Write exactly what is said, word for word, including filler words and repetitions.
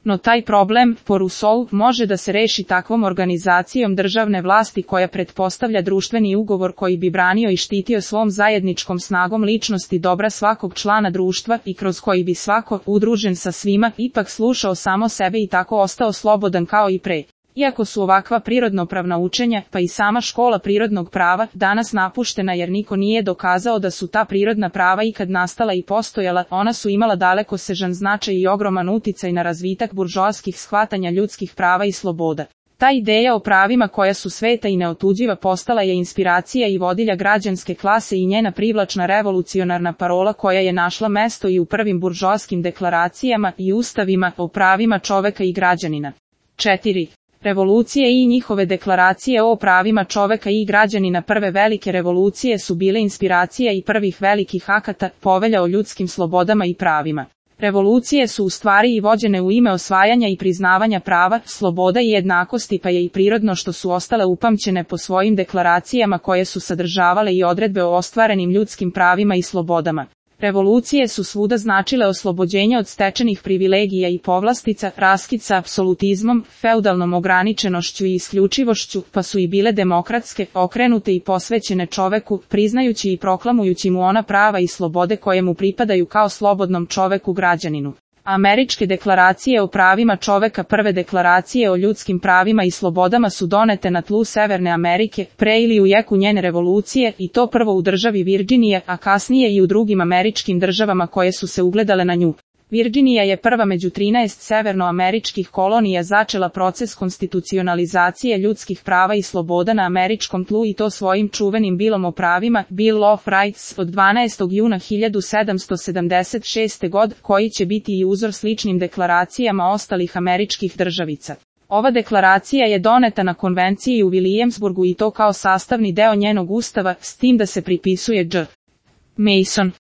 No taj problem, po Rousseau, može da se reši takvom organizacijom državne vlasti koja pretpostavlja društveni ugovor koji bi branio i štitio svom zajedničkom snagom ličnosti dobra svakog člana društva i kroz koji bi svako, udružen sa svima, ipak slušao samo sebe i tako ostao slobodan kao i pre. Iako su ovakva prirodnopravna učenja, pa i sama škola prirodnog prava, danas napuštena jer niko nije dokazao da su ta prirodna prava ikad nastala i postojala, ona su imala dalekosežan značaj i ogroman uticaj na razvitak buržoaskih shvatanja ljudskih prava i sloboda. Ta ideja o pravima koja su sveta i neotuđiva postala je inspiracija i vodilja građanske klase i njena privlačna revolucionarna parola koja je našla mesto i u prvim buržoaskim deklaracijama i ustavima o pravima čoveka i građanina. četiri. Revolucije i njihove deklaracije o pravima čoveka i građanina. Prve velike revolucije su bile inspiracija i prvih velikih akata, povelja o ljudskim slobodama i pravima. Revolucije su u stvari i vođene u ime osvajanja i priznavanja prava, sloboda i jednakosti, pa je i prirodno što su ostale upamćene po svojim deklaracijama koje su sadržavale i odredbe o ostvarenim ljudskim pravima i slobodama. Revolucije su svuda značile oslobođenje od stečenih privilegija i povlastica, raskid sa apsolutizmom, feudalnom ograničenošću i isključivošću, pa su i bile demokratske, okrenute i posvećene čoveku, priznajući i proklamujući mu ona prava i slobode koje mu pripadaju kao slobodnom čoveku građaninu. Američke deklaracije o pravima čoveka. Prve deklaracije o ljudskim pravima i slobodama su donete na tlu Severne Amerike, pre ili u jeku njene revolucije, i to prvo u državi Virdžinija, a kasnije i u drugim američkim državama koje su se ugledale na nju. Virdžinija je prva među trinaest severnoameričkih kolonija začela proces konstitucionalizacije ljudskih prava i sloboda na američkom tlu i to svojim čuvenim bilom o pravima, Bill of Rights, od dvanaestog juna hiljadu sedamsto sedamdeset šeste. godine, koji će biti i uzor sličnim deklaracijama ostalih američkih državica. Ova deklaracija je doneta na konvenciji u Williamsburgu i to kao sastavni deo njenog ustava, s tim da se pripisuje Dž. Mason.